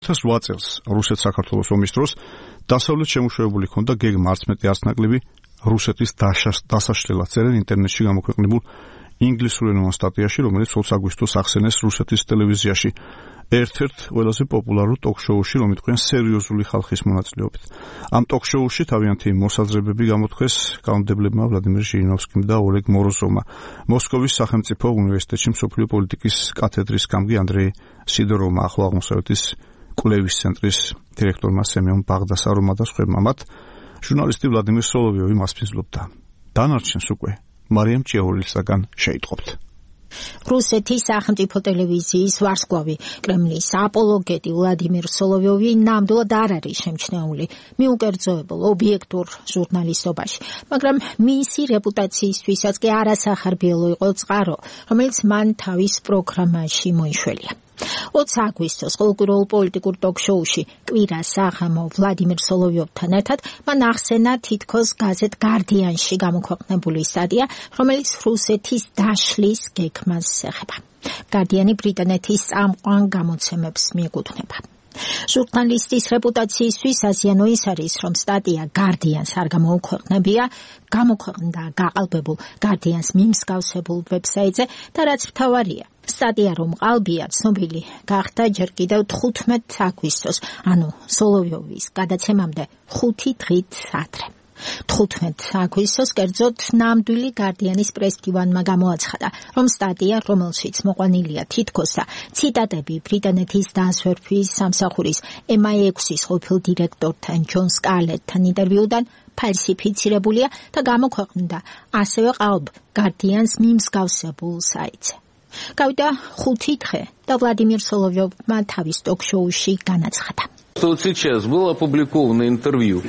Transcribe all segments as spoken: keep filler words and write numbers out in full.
ათას ოთხ წელს რუსეთ-საქართველოს ომის დროს დასავლეთ შემუშავებული ჰქონდა გეგმა არც მეტი არც ნაკლები რუსეთის დასაშლელად წერენ ინტერნეტში გამოქვეყნებულ ინგლისურენოვან სტატიაში, რომელიც ოცი აგვისტოს ახსენეს რუსეთის ტელევიზიაში ერთ-ერთ ყველაზე პოპულარულ ტოქ-შოუში, რომ იტყვიან სერიოზული ხალხის მონაწილეობით. ამ ტოქ-შოუში თავიანთი მოსაზრებები გამოთქვეს კანონმდებლებმა ვლადიმერ ჟირინოვსკიმ და ოლეგ მოროზოვმა. მოსკოვის სახელმწიფო უნივერსიტეტში მსოფლიო პოლიტიკის კათედრის გამგე ანდრეი სიდოროვმა, ახლო აღმოსავლეთის კვლევის ცენტრის დირექტორმა სემიონ ბაღდასაროვმა და სხვებმა. მათ ჟურნალისტი ვლადიმერ სოლოვიოვი მასპინძლობდა. დანარჩენს უკვე მარიამ ჭიაურელისაგან შეიტყობთ. რუსეთის სახელმწიფო ტელევიზიის ვარსკვლავი კრემლის აპოლოგეტი ვლადიმერ სოლოვიოვი ნამდვილად არ არის შემჩნეული მიუკერძოებულ ობიექტურ ჟურნალისტობაში, მაგრამ მისი რეპუტაციისთვისაც კი არასახარბიელო იყო წყარო, რომელიც მან თავის პროგრამაში მოიშველია. ოცი აგვისტოს ყოველკვირეულ პოლიტიკურ ტოქ-შოუში კვირა საღამო ვლადიმერ სოლოვიოვთან ერთად მან ახსენა თითქოს გაზეთ გარდიანში გამოქვეყნებული სტატია, რომელიც რუსეთის დაშლის გეგმას ეხება. გარდიანი ბრიტანეთის წამყვან გამოცემებს მიეკუთვნება. ჟურნალისტის რეპუტაციისთვის აზიანო ის არის, რომ სტატია გარდიანს არ გამოუქვეყნებია, გამოქვეყნდა გაყალბებულ გარდიანს მიმსგავსებულ ვებსაიტზე და რაც მთავარია, სტატია რომ ყალბია ცნობილი გახდა ჯერ კიდევ თხუთმეტ აგვისტოს, ანუ სოლოვიოვის გადაცემამდე ხუთი დღით ადრე. თხუთმეტ აგვისტოს კერძოდ ნამდვილი გარდიანის პრესდივანმა გამოაცხადა, რომ სტატია, რომელშიც მოყვანილია თითქოს და ციტატები ბრიტანეთის დასვერთვის სამსახურის ემ აი ექვსის ყოფილ დირექტორთან ჯონ სკარლეტთან ინტერვიუდან ფალსიფიცირებულია და გამოქვეყნდა ასევე ყალბ გარდიანს მიმსგავსებულ საიტზე. Გავიდა ხუთი დღე და ვლადიმერ სოლოვიოვმა თავის ток-შოუში განაცხადა. Вот сейчас было опубликовано интервью,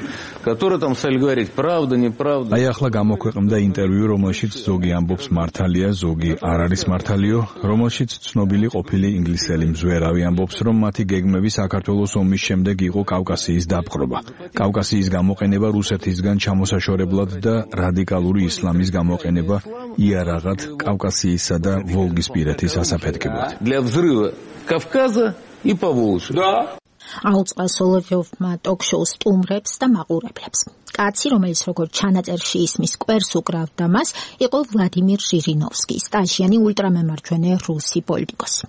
которое там стали говорить правда, неправда. Აი ახლა გამოქვეყნდა ინტერვიუ, რომელშიც ზოგი ამბობს მართალია, ზოგი არ არის მართალიო, რომელშიც ცნობილი ყოფილი ინგლისელი მზვერავი ამბობს, რომ მათი გეგმები საქართველოს ომის შემდეგ იყო კავკასიის დაპყრობა. კავკასიის გამოყენება რუსეთისგან ჩამოსაშორებლად და რადიკალური ისლამის გამოყენება იარაღად კავკასიისა და ვოლგისპირეთის ასაფეთქებლად. Для взрыва Кавказа и Поволжья. Да. აუწყა სოლოვიოვმა ტოქ-შოუს სტუმრებს და მაყურებლებს. კაცი, რომელიც როგორც ჩანაწერში ისმის კვერს უკრავდა მას, იყო ვლადიმერ ჟირინოვსკი, სტაჟიანი ულტრამემარჯვენე რუსი პოლიტიკოსი.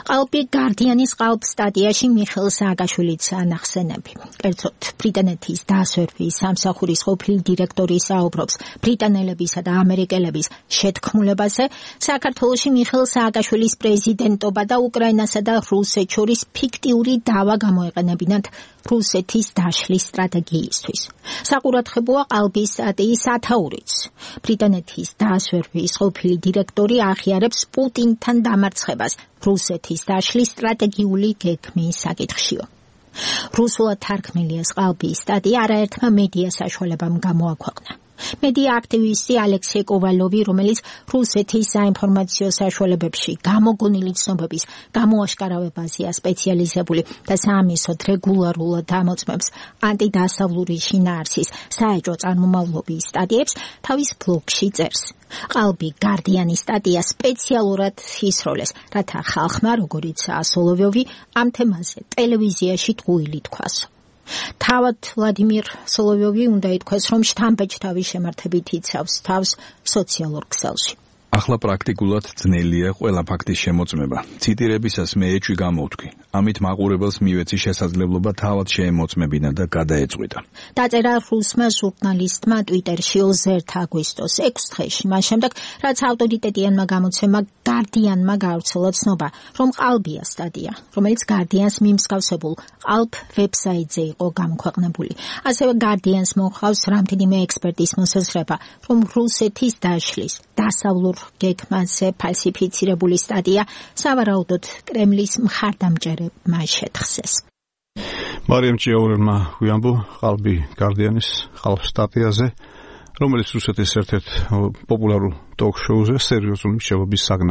ყალბი გარდიანის ყალბ სტატიაში მიხეილ სააკაშვილიცაა ნახსენები. კერძოდ ბრიტანეთის დასვერვის სამსახურის ყოფილი დირექტორი საუბრობს ბრიტანელებისა და ამერიკელების შეთქმულებაზე, საქართველოში მიხეილ სააკაშვილის პრეზიდენტობა და უკრაინასა და რუსეთს შორის ფიქტიური დავა გამოეყენებინათ რუსეთის დაშლის სტრატეგიისთვის. საყურადღებოა ყალბის სტატიის ათაურიც. ბრიტანეთის დასვერვის ყოფილი დირექტორი აღიარებს პუტინთან დამარცხებას რუსეთის დაშლის სტრატეგიული გეგმის საკითხშიო. რუსულად თარგმნილი ეს ყალბის სტატია არაერთმა მედია საშუალებამ გამოაქვეყნა. მედია აქტივისტი ალექსეი კოვალოვი, რომელიც რუსეთის საინფორმაციო საშუალებებში გამოგონილი ცნობების გამოაშკარავებაზეა სპეციალიზებული და საამისოდ რეგულარულად ამოწმებს ანტიდასავლური შინაარსის საეჭვო წარმომავლობის სტატიებს, თავის ბლოგში წერს. ყალბი გარდიანის სტატია სპეციალურად ისროლეს, რათა ხალხმა, როგორიცაა სოლოვიოვი, ამ თემაზე ტელევიზიაში ტყუილი თქვას. თავად ვლადიმერ სოლოვიოვი უნდა ითქვას, რომ შთამბეჭდავი შემართებით იცავს თავს სოციალურ ქსელში. ახლა პრაქტიკულად ძნელია ყველა ფაქტის შემოწმება. ციტირებისას მე ეჭვი გამოვთქვი. ამით მაყურებელს მივეცი შესაძლებლობა თავად შეემოწმებინა და გადაეწყვიტა. დაწერა რუსმა ჟურნალისტმა ტვიტერში ოცი ერთი აგვისტოს ექვს დღეში, მას შემდეგ, რაც ავტორიტეტიანმა გამოცემა გარდიანმა გავრცელა ცნობა, რომ ყალბია სტატია, რომელიც გარდიანს მიმსგავსებულ ყალბ ვებსაიტზე იყო გამოქვეყნებული. ასევე გარდიანს მოჰყავს რამდენიმე ექსპერტის მოსაზრება, რომ რუსეთის დაშლის დასავლურ გეგმაზე ფალსიფიცირებული სტატია სავარაუდოდ კრემლის მხარდამჭერებმა შეთხსეს. მარიამ ჭიაურელმა გვიამბო ყალბი გარდიანის ყალბ სტატიაზე, რომელიც რუსეთის ერთ-ერთ პოპულარულ ტოქ-შოუზე სერიოზული მშენებლობის საგნად